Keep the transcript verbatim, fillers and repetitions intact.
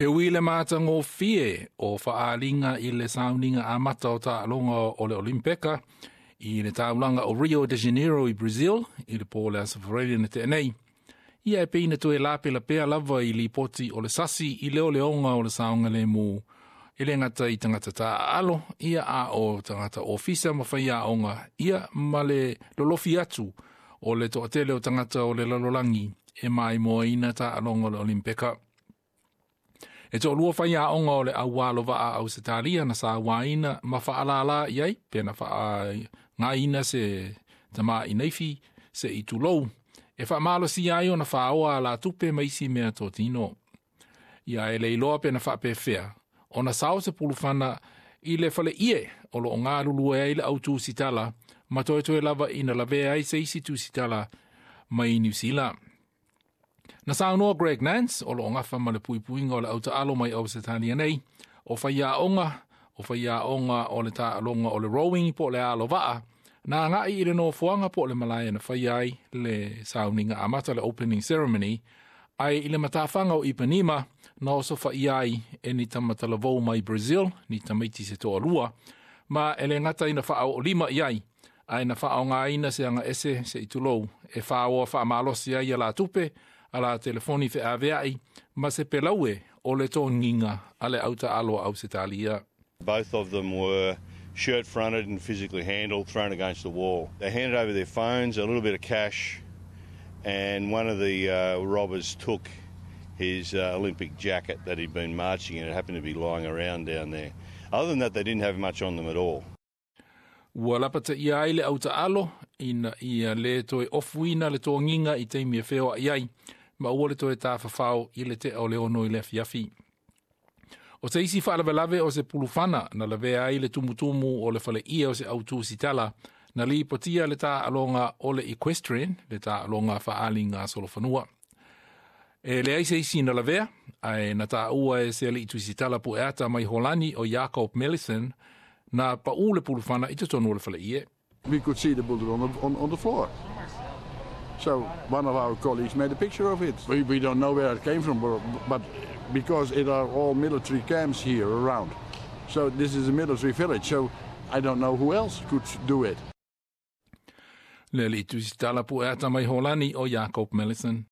E ui i le matagofie o faaaliga i le sauniga amata o taaloga o le Olimpeka i le taulaga o Rio de Janeiro i Brazil i le po o le Aso Faraile na tea nei. Ia e pei na toe lapelapea lava i lipoti o le sasi i leoleoga o le saogalemu e le gata i tagata taaalo, ia a o tagata ofisa ma faiaoga, ia ma le lolofi atu o le toatele o tagata o le lalolagi e maimoaina taaloga o le Olimpeka. E toalua faiaoga o le aualo vaa Ausetalia na sauaina ma faalala i ai, pe na faaaogaina se tamaai naifi se i tulou, e faamalosia ai ona faoa alatupe ma isi meatotino. Ia e le iloa pe na faapefea, ona sao se pulufana i le faleie o loo galulue ai le au tusitala, ma toetoe lava ina lavea ai se isi tusitala mai Niu Sila. Na saunoa Greg Nance, o loo gafa ma le puipuiga o le autaalo mai Ausetalia nei, o faiaoga, o faiaoga o le taaloga o le rowing po o le alo vaa, na agai i le nofoaga po o le malae na faia ai le sauniga amata le opening ceremony, ae i le matafaga o Ipanema na osofaia ai e ni tamatalavou mai Brazil, ni tamaiti se toalua, ma e le gata ina faaoolima i ai, ae na faaaogaina se agaese se i tulou e faoa faamalosi ai alatupe, ala telefoni feaveai, ma se pelaue o le togiga a le autaalo a Ausetalia. Both of them were shirt fronted and physically handled, thrown against the wall. They handed over their phones, a little bit of cash, and one of the uh, robbers took his uh, Olympic jacket that he'd been marching in. It happened to be lying around down there. Other than that, they didn't have much on them at all. Ua lapataia ai le autaalo ina ia le toe ofuina le togiga i taimi e feoai ai, ma ua le toe tafafao i le tea o le ono i le afiafi. O se isi faalavelave o se pulufana na lavea ai le tumutumu o le faleie o se au tusitala na lipotia le taaloga o le equestrian, le taaloga faaaliga solofanua. E leai se isi na lavea, ae na taua e se alii tusitala pueata mai Holani o Jacob Mellison na pau le pulufana i totonu o le faleie. We could see the bullet on the, on, on the floor. So one of our colleagues made a picture of it. We, we don't know where it came from, but, but because it are all military camps here around. So this is a military village, so I don't know who else could do it. Le alii tusitala pueata mai Holani o Jacob Mellison.